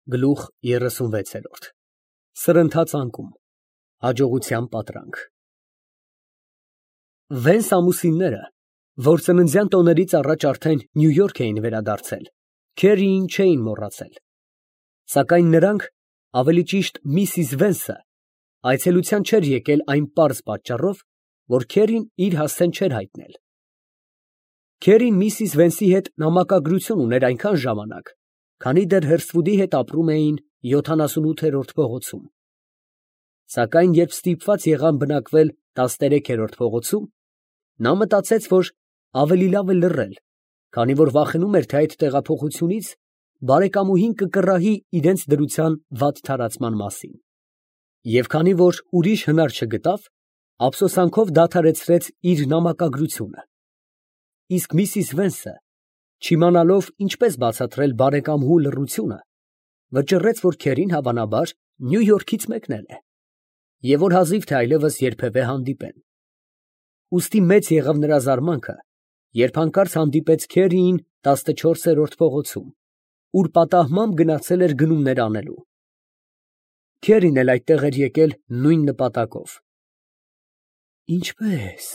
Գլուխ 36 Սրընթաց անկում Հաջողության պատրանք Վենց ամուսինները, որ ծննդյան տոներից առաջ արդեն Նյու Յորք էին վերադարձել, Քերիին չէին մոռացել, սակայն նրանք, ավելի ճիշտ միսիս Վենսը, այցելության չէր եկել այն պարզ պատճառով, որ Քերին իր հասցեն չէր հայտնել։ Քերին միսիս Վենսի հետ նամակագրություն ուներ այնքան ժամանակ, քանի դեռ Հըրսթվուդի հետ ապրում էին 78-րդ փողոցում։ Սակայն երբ ստիպված եղան բնակվել 13-րդ փողոցում, նա մտածեց, որ ավելի լավ է լռել, քանի որ վախենում էր, թե այդ տեղափոխությունից բարեկամուհին կկռահի իրենց դրության վատ թարացման մասին։ Եվ քանի որ ուրիշ հնար չգտավ, ափսոսանքով դադարեցրեց իր նամակագրությունը։ Իսկ միսիս Վենսը, չիմանալով ինչպես բացատրել բարեկամուհու լռությունը, վճռեց, որ Քերին հավանաբար Նյու Յորքից մեկնել է, և որ հազիվ թե այլևս երբևէ հանդիպեն։ Ուստի մեծ եղավ նրա զարմանքը, երբ հանկարծ հանդիպեց Քերիին 14-րդ փողոցում, ուր պատահմամբ գնացել էր գնումներ անելու։ Քերին էլ այդտեղ էր եկել նույն նպատակով։ Ինչպե՞ս,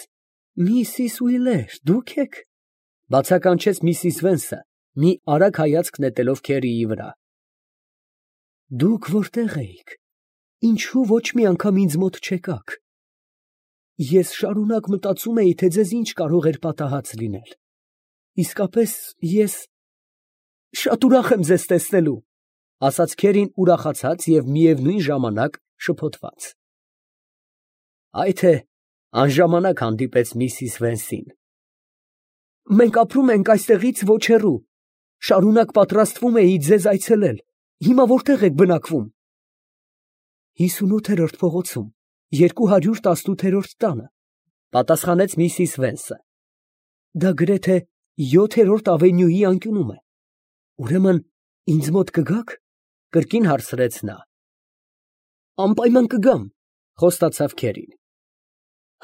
միսիս Ուիլեր, դուք եք, ֊ բացականչեց միսիս Վենսը, մի արագ հայացք նետելով Քերիի վրա։ Դուք որտե՞ղ էիք, ինչու ոչ մի անգամ ինձ մոտ չեկաք։ Ես շարունակ մտածում էի, թե ձեզ ինչ կարող էր պատահած լինել։ Իսկապես ես շատ ուրախ եմ ձեզ տեսնելու, ֊ ասաց Քերին ուրախացած և միևնույն ժամանակ շփոթված։ Այ թե անժամանակ հանդիպեց միսիս Վենսին։ Մենք ապրում ենք այստեղից ոչ հեռու, շարունակ պատրաստվում էի ձեզ այցելել, հիմա որտեղ եք բնակվում։ 58-րդ փողոցում, 218-րդ տանը, ֊ պատասխանեց միսիս Վենսը։ Դա գրեթե 7-րդ ավենյուի անկյունում է։ Ուրեմն ինձ մոտ կգաք, ֊ կրկին հարցրեց նա։ Անպայման կգամ, ֊ խոստացավ Քերին։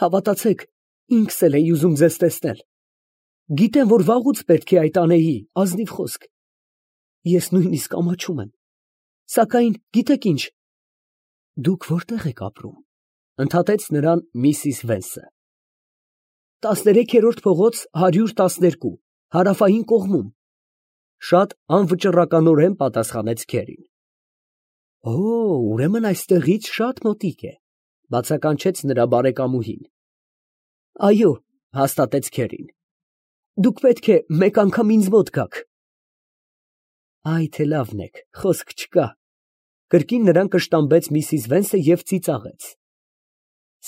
Հավատացեք, ինքս էլ էի ուզում ձեզ տեսնել։ Գիտեմ, որ վաղուց պետք է այդ անեի, ազնիվ խոսք։ Ես նույնիսկ ամաչում եմ։ Սակայն գիտեք ինչ, դուք որտեղ եք ապրում, ֊ ընդհատեց նրան միսիս Վենսը։ 13-րդ փողոց 112, հարավային կողմում, ֊ շատ անվճռականորեն պատասխանեց Քերին։ Օ, ուրեմն այստեղից շատ մոտիկ է, ֊ բացականչեց նրա բարեկամուհին։ Այո, ֊ հաստատեց Քերին։ Դուք պետք է մեկ անգամ ինձ մոտ գաք։ Այ թե լավն եք, խոսք չկա, ֊ կրկին նրան կշտամբեց միսիս Վենսը և ծիծաղեց։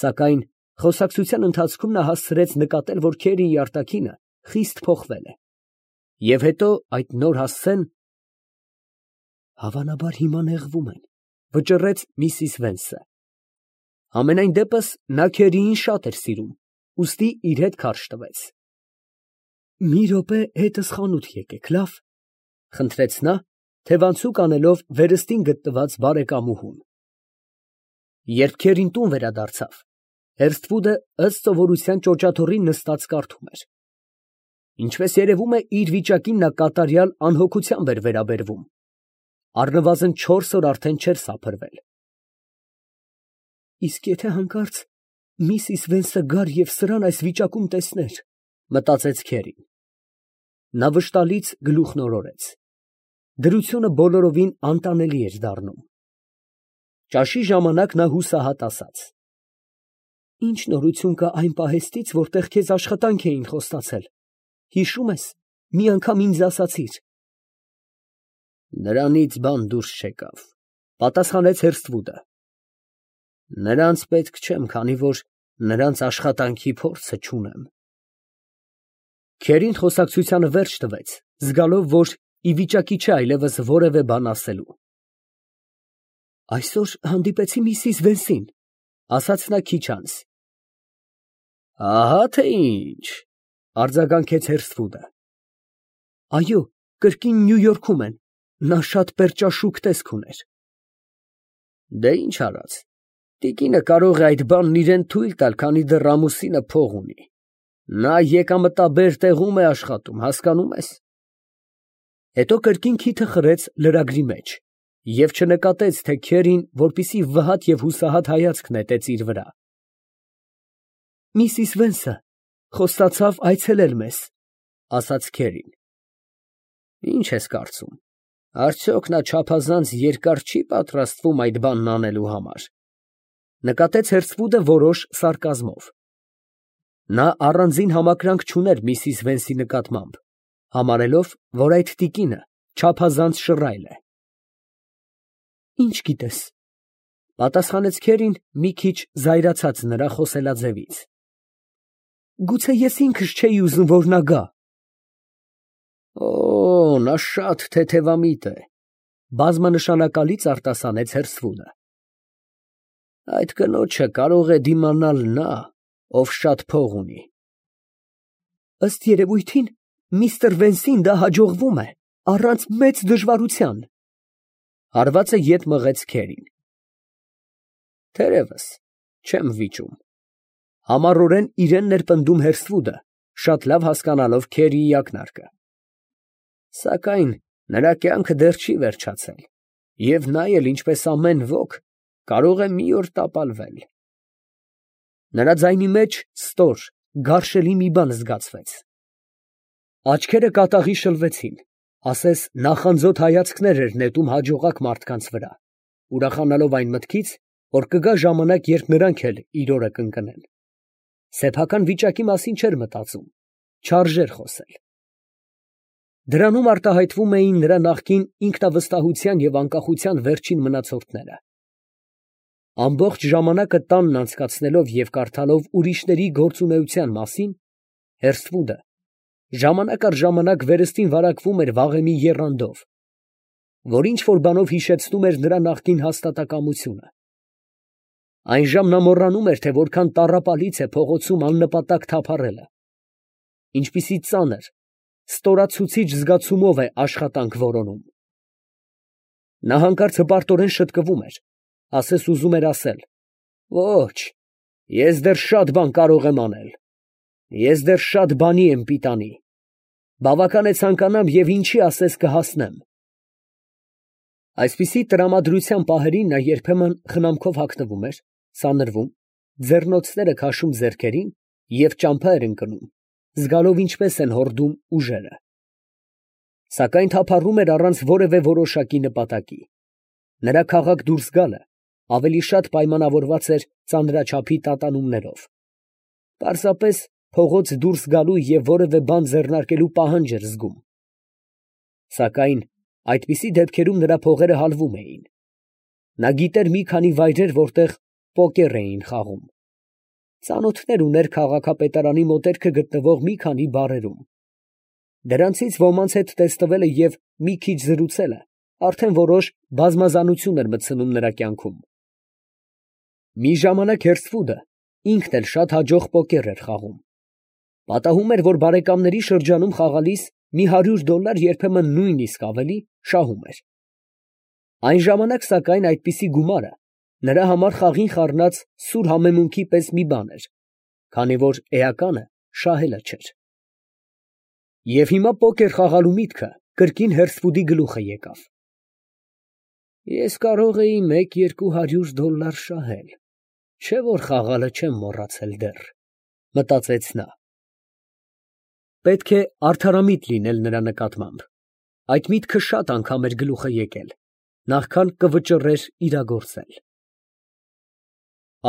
Սակայն խոսակցության ընթացքում նա հասցրեց նկատել, որ Քերիի արտաքինը խիստ փոխվել է։ Եվ հետո այդ նոր հասցեն… Հավանաբար հիմա նեղվում են, ֊ վճռեց միսիս Վենսը։ Համենայն դեպս նա Քերիին շատ էր սիրում, ուստի իր հետ քարշ տվեց։ Մի րոպե հետս խանութ եկեք, լավ, ֊ խնդրեց նա, թևանցուկ անելով վերստին գտնված բարեկամուհուն։ Երբ Քերին տուն վերադարձավ, Հըրսթվուդը ըստ սովորության ճոճաթոռին նստած կարդում էր։ Ինչպես երևում է, իր վիճակին նա կատարյալ անհոգությամբ էր վերաբերվում։ Առնվազն 4 օր արդեն չէր սափրվել։ Իսկ եթե հանկարծ միսիս Վենսը գար և սրան այս վիճակում տեսներ, ֊ մտածեց Քերին։ Նա վշտալից գլուխն օրորեց։ Դրությունը բոլորովին անտանելի էր դառնում։ Ճաշի ժամանակ նա հուսահատ ասաց. Ինչ նորություն կա այն պահեստից, որտեղ քեզ աշխատանք էին խոստացել, հիշում ես, մի անգամ ինձ ասացիր։ Նրանից բան դուրս չեկավ, ֊ պատասխանեց Հըրսթվուդը։ Նրանց պետք չեմ, քանի որ նրանց աշխատանքի փորձը չունեմ։ Քերին խոսակցությանը վերջ տվեց, զգալով, որ ի վիճակի չէ այլևս որևէ բան ասելու։ Այսօր հանդիպեցի միսիս Վենսին, ֊ ասաց նա քիչ անց։ Ահա թե ինչ, ֊ արձագանքեց Հըրսթվուդը։ Այո, կրկին Նյու Յորքում են, նա շատ պերճաշուք տեսք ուներ։ Դե ինչ արած, տիկինը կարող է այդ բանն իրան թույլ տալ, քանի դեռ ամուսինը փող ունի։ Նա եկամտաբեր տեղում է աշխատում, հասկանում ես։ Հետո կրկին քիթը խրեց լրագրի մեջ, և չնկատեց, թե քերին, որպեսզի վհատ և հուսահատ հայացք նետեց իր վրա։ «Միսիս Վենսը խոստացավ այցելել մեզ», ֊ ասաց քերին։ «Ի՞նչ ես կարծում, արդյոք նա չափազանց երկար չի պատրաստվում այդ բանն անելու համար», ֊ նկատեց հերսվուդը որոշ սարկազմով։ Նա առանձին համակրանք չուներ միսիս Վենսի նկատմամբ, համարելով, որ այդ տիկինը չափազանց շռայլ է։ «Ի՞նչ գիտես», ֊ պատասխանեց քերին, մի քիչ զայրացած նրա խոսելաձևից։ «Գուցե ես ինքս չէի ուզում, որ նա գա»։ «Օ, նա շատ թեթևամիտ է», ֊ բազմանշանակալից արտասանեց հերսվուդը։ «Այդ կնոջը կարող է դիմանալ նա, ով շատ փող ունի»։ «Ըստ երևույթին, միստր Վենսին դա հաջողվում է, առանց մեծ դժվարության», ֊ հարվածը ետ մղեց քերին։ «Թերևս, չեմ վիճում», ֊ համառորեն իրան ներպնդում հերսվուդը, շատ լավ հասկանալով քերիի ակնարկը։ «Սակայն նրա կյանքը դեռ չի վերջացել, և նա էլ, ինչպես ամեն ոք, կարող է մի օր տապալվել»։ Նրա ձայնի մեջ ստոր, գարշելի մի բան զգացվեց։ Աչքերը կատաղի շլվեցին, ասես նախանձոտ հայացքներ էր նետում հաջողակ մարդկանց վրա, ուրախանալով այն մտքից, որ կգա ժամանակ, երբ նրանք էլ իր օրը կընկնեն։ Սեփական վիճակի մասին չէր մտածում, չարժեր խոսել։ Դրանում արտահայտվում էին նրա նախկին ինքնավստահության և անկախության վերջին մնացորդները։ Ամբողջ ժամանակը տանն անցկացնելով և կարդալով ուրիշների գործունեության մասին, հերսվուդը ժամանակ առ ժամանակ վերստին վարակվում էր վաղեմի եռանդով, որ ինչ֊որ բանով հիշեցնում էր նրա նախկին հաստատակամությունը։ Այնժամ նա մոռանում էր, թե որքան տառապալից է փողոցում աննպատակ թափառելը, ինչպիսի ծանր, ստորացուցիչ զգացումով է աշխատանք որոնում։ Նա հանկարծ հպարտորեն շտկվում էր, ասես ուզում էր ասել. «Ոչ, ես դեռ շատ բան կարող եմ անել, ես դեռ շատ բանի եմ պիտանի, բավական է ցանկանամ և ինչի ասես կհասնեմ»։ Այսպիսի տրամադրության պահերին նա երբեմն խնամքով հագնվում էր, սանրվում, ձեռնոցները քաշում ձեռքերին և ճամփա էր ընկնում, զգալով ինչպես են հորդում ուժերը։ Սակայն թափառում էր առանց որևէ որոշակի նպատակի։ Նրա քաղաք դուրս գալը ավելի շատ պայմանավորված էր ծանրաչափի տատանումներով։ Պարզապես փողոց դուրս գալու և որևէ բան ձեռնարկելու պահանջ էր զգում։ Սակայն այդպիսի դեպքերում նրա փողերը հալվում էին։ Նա գիտեր մի քանի վայրեր, որտեղ պոկեր էին խաղում։ Ծանոթներ ուներ քաղաքապետարանի մոտերքը գտնվող մի քանի բարերում։ Դրանցից ոմանց հետ տեսնվելը և մի քիչ զրուցելը արդեն որոշ բազմազանություն էր մտցնում նրա կյանքում։ Մի ժամանակ հերսվուդը ինքն էլ շատ հաջող պոկեր էր խաղում։ Պատահում էր, որ բարեկամների շրջանում խաղալիս մի $100, երբեմն նույնիսկ ավելի, շահում էր։ Այն ժամանակ, սակայն, այդպիսի գումարը նրա համար խաղին խառնած սուր համեմունքի պես մի բան էր, քանի որ էականը շահելը չէր։ Եվ հիմա պոկեր խաղալու միտքը կրկին հերսվուդի գլուխը եկավ։ «Ես կարող էի $100-200 շահել, չէ՞ որ խաղալը չեմ մոռացել դեռ», ֊ մտածեց նա։ Պետք է արդարամիտ լինել նրա նկատմամբ։ Այդ միտքը շատ անգամ էր գլուխը եկել, նախքան կվճռեր իրագործել։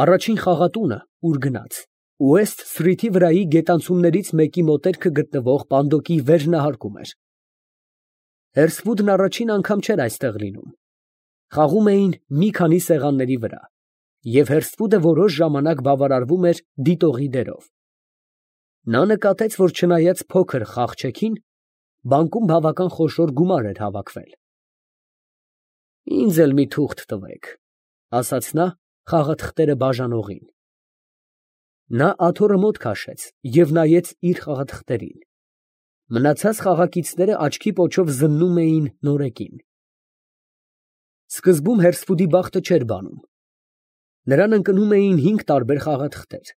Առաջին խաղատունը, ուր գնաց, Ուեսթ Սթրիթի վրայի գետանցումներից մեկի մոտերքը գտնվող պանդոկի վերնահարկում էր։ Հերսվուդն առաջին անգամ չէր այստեղ լինում։ Խաղում էին մի քանի սեղանների վրա, և հերսվուդը որոշ ժամանակ բավարարվում էր դիտողի դերով։ Նա նկատեց, որ չնայած փոքր խաղչեքին, բանկում բավական խոշոր գումար էր հավաքվել։ «Ինձ էլ մի թուղթ տվեք», ֊ ասաց նա խաղաթղթերը բաժանողին։ Նա աթոռը մոտ քաշեց և նայեց իր խաղաթղթերին։ Մնացած խաղակիցները աչքի պոչով զննում էին նորեկին։ Սկզբում հերսվուդի բախտը չէր բանում։ Նրան ընկնում էին 5 տարբեր խաղաթղթեր,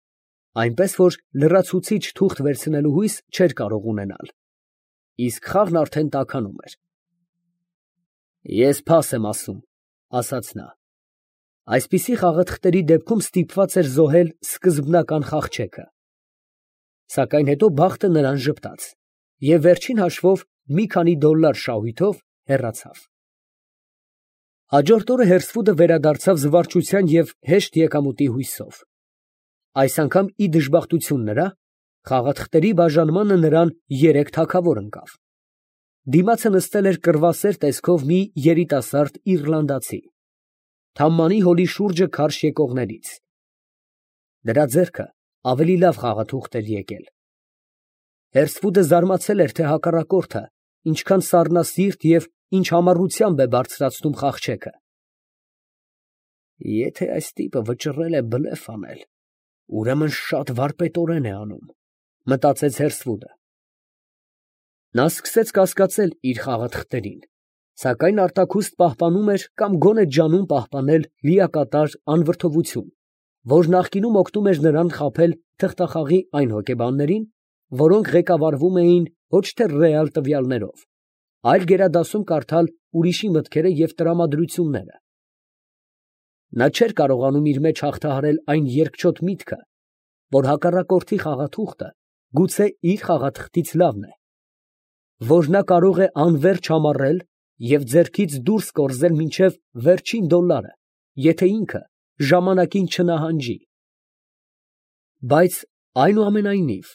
այնպես որ լրացուցիչ թուղթ վերցնելու հույս չէր կարող ունենալ, իսկ խաղն արդեն տաքանում էր։ Ես փաս եմ ասում, ասաց նա։ Այսպիսի խաղաթղթերի դեպքում ստիպված էր զոհել սկզբնական խաղչեքը։ Սակայն հետո բախտը նրան ժպտաց, և վերջին հաշվով մի քանի $, շահույթով հեռացավ։ Հաջորդ օրը Հերսֆուդը վերադարձավ զվարճության և հեշտ եկամուտի հույսով։ Այս անգամ ի դժբախտություն նրա, խաղաթղթերի բաժանմանը նրան 3 թագավոր ընկավ։ Դիմացը նստել էր կռվասեր տեսքով մի երիտասարդ իռլանդացի, թամմանի հոլի շուրջը քարշ եկողներից։ Նրա ձեռքը ավելի լավ խաղաթուղթ էր եկել։ Հերսֆուդը զարմացել էր, թե հակառակորդը ինչքան սառնասիրտ և ինչ համառությամբ է բարձրացնում խաղչեքը։ Եթե այս տիպը վճռել է բլեֆ անել, ուրեմն շատ վարպետորեն է անում, մտածեց Հերսֆուդը։ Նա սկսեց կասկածել իր խաղաթղթերին, սակայն արտաքուստ պահպանում էր կամ գոնե ջանում պահպանել լիակատար անվրդովություն, որ նախկինում օգնում էր նրան խաբել թղթախաղի այն հոգեբաններին, որոնք ղեկավարվում էին ոչ թե ռեալ տվյալներով, այլ գերադասում կարդալ ուրիշի մտքերը և տրամադրությունները։ Նա չէր կարողանում իր մեջ հաղթահարել այն երկչոտ միտքը, որ հակառակորդի խաղաթուղթը գուցե իր խաղաթղթից լավն է, որ նա կարող է անվերջ համառել և ձեռքից դուրս կորզել մինչև վերջին $, եթե ինքը ժամանակին չնահանջի։ Բայց այնուամենայնիվ,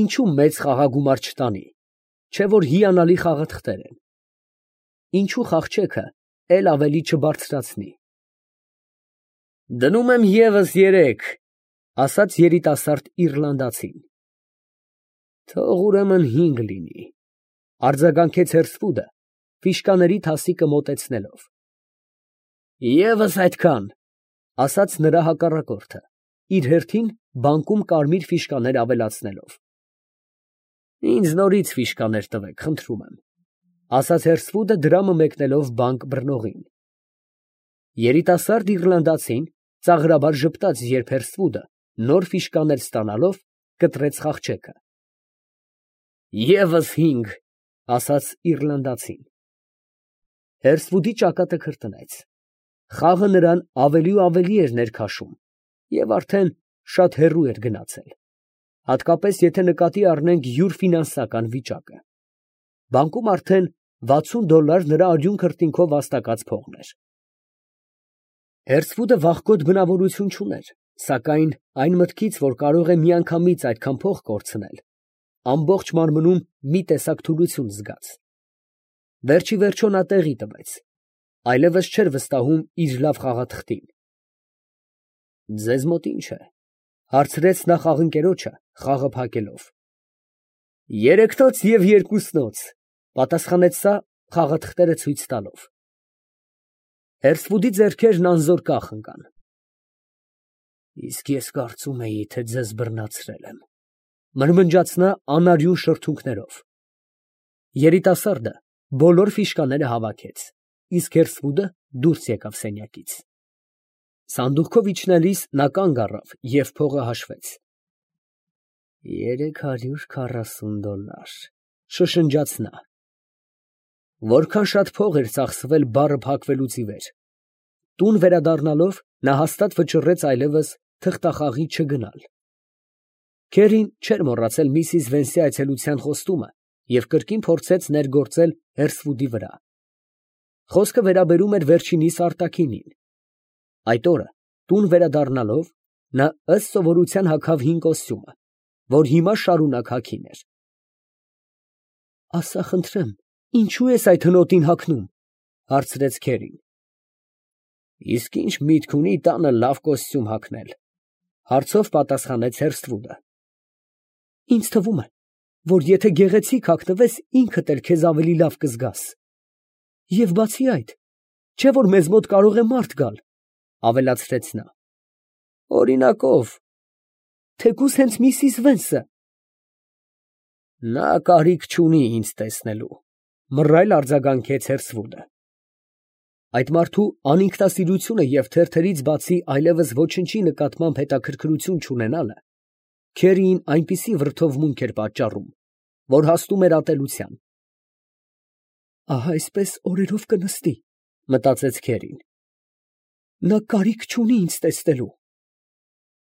ինչու մեծ խաղագումար չտանի, չէ՞ որ հիանալի խաղաթղթեր են։ Ինչու խաղչեքը էլ ավելի չբարձրացնի։ Դնում եմ ևս 3, ասաց երիտասարդ իռլանդացին։ Թող ուրեմն 5 լինի, արձագանքեց Հերսֆուդը, ֆիշկաների թասիկը մոտեցնելով։ ԵՒս այդքան, ասաց նրա հակառակորդը, իր հերթին բանկում կարմիր ֆիշկաներ ավելացնելով։ Ինձ նորից ֆիշկաներ տվեք, խնդրում եմ, ասաց Հերսֆուդը դրամը մեկնելով բանկ բռնողին։ Երիտասարդ իռլանդացին ծաղրաբար ժպտաց, երբ Հերսֆուդը նոր ֆիշկաներ ստանալով կտրեց խաղչեքը։ ԵՒս 5, ասաց իռլանդացին։ Հերսֆուդի ճակատը քրտնեց։ Խաղը նրան ավելի ու ավելի էր ներքաշում և արդեն շատ հեռու էր գնացել, հատկապես եթե նկատի առնենք յուր ֆինանսական վիճակը։ Բանկում արդեն $60 նրա արյուն քրտինքով վաստակած փողն էր։ Հերսֆուդը վախկոտ բնավորություն չուներ, սակայն այն մտքից, որ կարող է միանգամից այդքան փող կորցնել, ամբողջ մարմնում մի տեսակ թուլություն զգաց։ Վերջիվերջո նա տեղի տվեց, այլևս չէր վստահում իր լավ խաղաթղթին։ Ձեզ մոտ ի՞նչ է, հարցրեց նա խաղընկերոջը, խաղը փակելով։ 3-նոց և 2-նոց, պատասխանեց սա խաղաթղթերը ցույց տալով։ Հերսֆուդի ձեռքերն անզոր կախ ընկան։ Իսկ ես կարծում էի, թե ձեզ բռնացրել եմ, մրմնջաց նա անարյուն շրթունքներով։ Երիտասարդը բոլոր ֆիշկաները հավաքեց, իսկ Հերսֆուդը դուրս եկավ սենյակից։ Սանդուղքով իջնելիս նա կանգ առավ և փողը հաշվեց։ $340, շշնջաց նա։ Որքան շատ փող էր ծախսվել բառը փակվելուց ի վեր։ Տուն վերադառնալով նա հաստատ վճռեց այլևս թղթախաղի չգնալ։ Քերին չէր մոռացել միսիս Վենսի այցելության խոստումը և կրկին փորձեց ներգործել Հերսֆուդի վրա։ Խոսքը վերաբերում էր վերջինիս արտաքինին։ Այդ օրը տուն վերադառնալով նա ըստ սովորության հագավ հին կոստյումը, որ հիմա շարունակ հագին էր։ Ասա խնդրեմ, ինչո՞ւ ես այդ հնոտին հագնում, հարցրեց Քերին։ Իսկ ի՞նչ միտք ունի տանը լավ կոստյում հագնել, հարցով պատասխանեց Հերսֆուդը։ Ինձ թվում է, որ եթե գեղեցիկ հագնվես, ինքդ էլ քեզ ավելի լավ կզգաս։ Եվ բացի այդ, չէ՞ որ մեզ մոտ կարող է մարդ գալ, ավելացրեց նա։ Օրինակ ո՞վ։ Թեկուզ հենց միսիս Վենսը։ Նա կարիք չունի ինձ տեսնելու, մռայլ արձագանքեց Հերսֆուդը։ Այդ մարդու անինքնասիրությունը և թերթերից բացի այլևս ոչնչի նկատմամբ հետաքրքրություն չունենալը Քերիին այնպիսի վրդովմունք էր պատճառում, որ հասնում էր ատելության։ Ահա այսպես օրերով կնստի, մտածեց Քերին։ Նա կարիք չունի ինձ տեսնելու,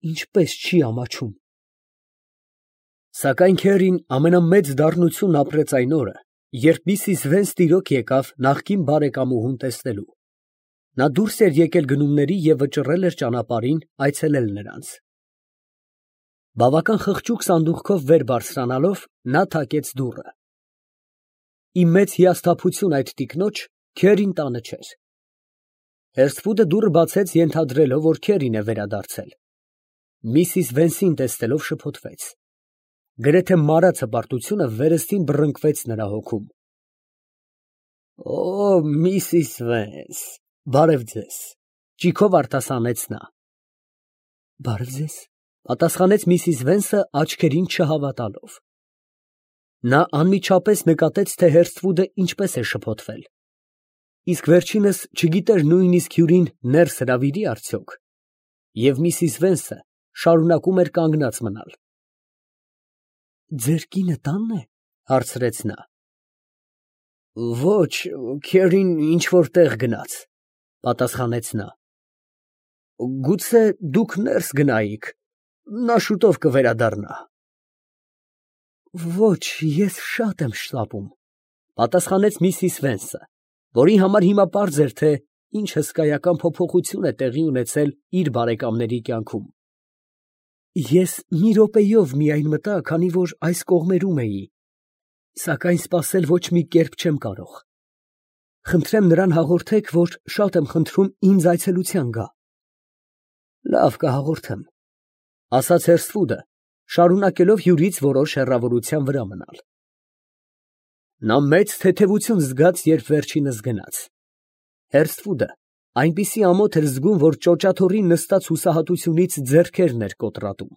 ինչպես չի ամաչում։ Սակայն Քերին ամենամեծ դառնությունն ապրեց այն օրը, երբ Միսիս Վենս տիրոք եկավ նախկին բարեկամուհուն տեսնելու։ Նա դուրս էր եկել գնումների և վճռել էր ճանապարհին այցելել նրանց։ Բավական խղճուկ սանդուղքով վեր բարձրանալով, նա թակեց դուռը։ Ի մեծ հիասթափություն այդ տիկնոջ, Քերին տանը չէր։ Հերսֆուդը դուռը բացեց, ենթադրելով, որ Քերին է վերադարձել։ Միսիս Վենսին տեսնելով շփոթվեց։ Գրեթե մարած հպարտությունը վերստին բռնկվեց նրա հոգում։ Օ, Միսիս Վենս, բարև ձեզ, ճիգով արտասանեց նա։ Բարև ձեզ, պատասխանեց Միսիս Վենսը աչքերին չհավատալով։ Նա անմիջապես նկատեց, թե Հերսթվուդը ինչպես է շփոթվել։ Իսկ վերջինս չգիտեր նույնիսկ հյուրին ներս հրավիրի արդյոք։ Եվ Միսիս Վենսը շարունակում էր կանգնած մնալ։ Ձեր կինը տանն է, հարցրեց նա։ Ոչ, Քերին ինչ-որ տեղ գնաց, պատասխանեց նա։ Գուցե դուք ներս գնայիք, նա շուտով կվերադառնա։ Ոչ, ես շատ եմ շտապում, պատասխանեց Միսիս Վենսը, որի համար հիմա պարզ էր, թե ինչ հսկայական փոփոխություն է տեղի ունեցել իր բարեկամների կյանքում։ Ես մի րոպեով միայն մտա, քանի որ այս կողմերում էի, սակայն սպասել ոչ մի կերպ չեմ կարող։ Խնդրեմ նրան հաղորդեք, որ շատ եմ խնդրում ինձ այցելության գա։ Լավ, կհաղորդեմ, ասաց Հերսթվուդը, շարունակելով հյուրից որոշ հեռավորության վրա մնալ։ Նա մեծ թեթևություն զգաց, երբ վերջինս գնաց։ Հերսթվուդը այնպիսի ամոթ էր զգում, որ ճոճաթոռին նստած հուսահատությունից ձեռքերն էր կոտրատում։